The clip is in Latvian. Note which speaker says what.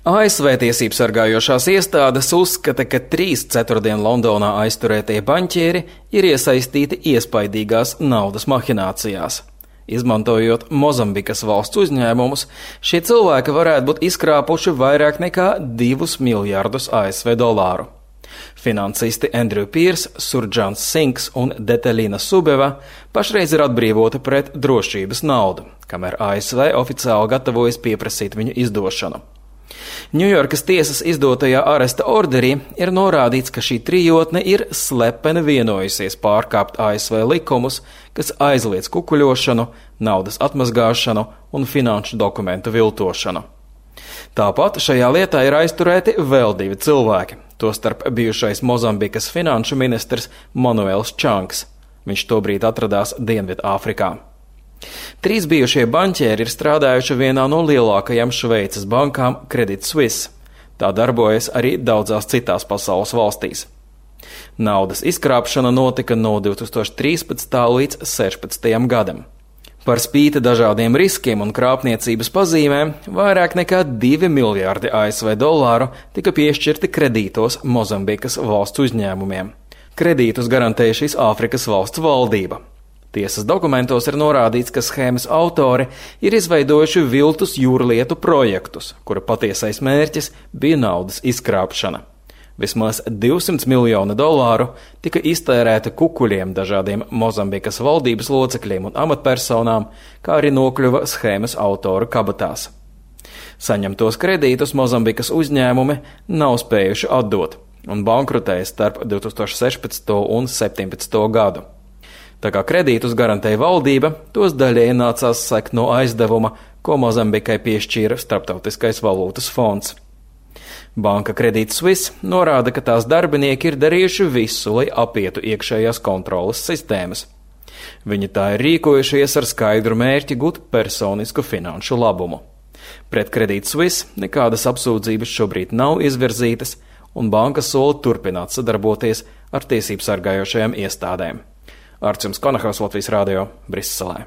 Speaker 1: ASV tiesību sargājošās iestādes uzskata, ka 3 ceturtdien Londonā aizturētie baņķieri ir iesaistīti iespaidīgās naudas mahinācijās. Izmantojot Mozambikas valsts uzņēmumus, šie cilvēki varētu būt izkrāpuši vairāk nekā 2 miljardus ASV dolāru. Finansisti Andrew Pierce, Surjans Sinks un Detelina Subeva pašreiz ir atbrīvoti pret drošības naudu, kamēr ASV oficiāli gatavojas pieprasīt viņu izdošanu. Ņujorkas tiesas izdotajā aresta orderī ir norādīts, ka šī trijotne ir slepeni vienojusies pārkāpt ASV likumus, kas aizliedz kukuļošanu, naudas atmazgāšanu un finanšu dokumentu viltošanu. Tāpat šajā lietā ir aizturēti vēl 2 cilvēki, tostarp bijušais Mozambikas finanšu ministrs Manuels Čanks. Viņš tobrīd atradās Dienvidāfrikā. 3 bijušie baņķieri ir strādājuši vienā no lielākajām Šveices bankām Credit Suisse. Tā darbojas arī daudzās citās pasaules valstīs. Naudas izkrāpšana notika no 2013. līdz 2016. gadam. Par spīti dažādiem riskiem un krāpniecības pazīmēm, vairāk nekā 2 miljārdi ASV dolāru tika piešķirti kredītos Mozambikas valsts uzņēmumiem. Kredītus garantēja šīs Āfrikas valsts valdība. Tiesas dokumentos ir norādīts, ka schēmas autori ir izveidojuši viltus jūrlietu projektus, kura patiesais mērķis bija naudas izkrāpšana. Vismaz 200 miljoni dolāru tika iztērēti kukuļiem dažādiem Mozambikas valdības locekļiem un amatpersonām, kā arī nokļuva schēmas autoru kabatās. Saņemtos kredītus Mozambikas uzņēmumi nav spējuši atdot un bankrutēja starp 2016. un 2017. gadu. Tā kā kredītus garantēja valdība, tos daļēji nācās sekt no aizdevuma, ko Mozambikai piešķīra Starptautiskais valūtas fonds. Banka Credit Suisse norāda, ka tās darbinieki ir darījuši visu, lai apietu iekšējās kontroles sistēmas. Viņi tā ir rīkojušies ar skaidru mērķi gūt personisku finanšu labumu. Pret Credit Suisse nekādas apsūdzības šobrīd nav izvirzītas, un banka sola turpināt sadarboties ar tiesību sargājošajām iestādēm. Arčuns Konahaus, Latvijas radio, Briselē.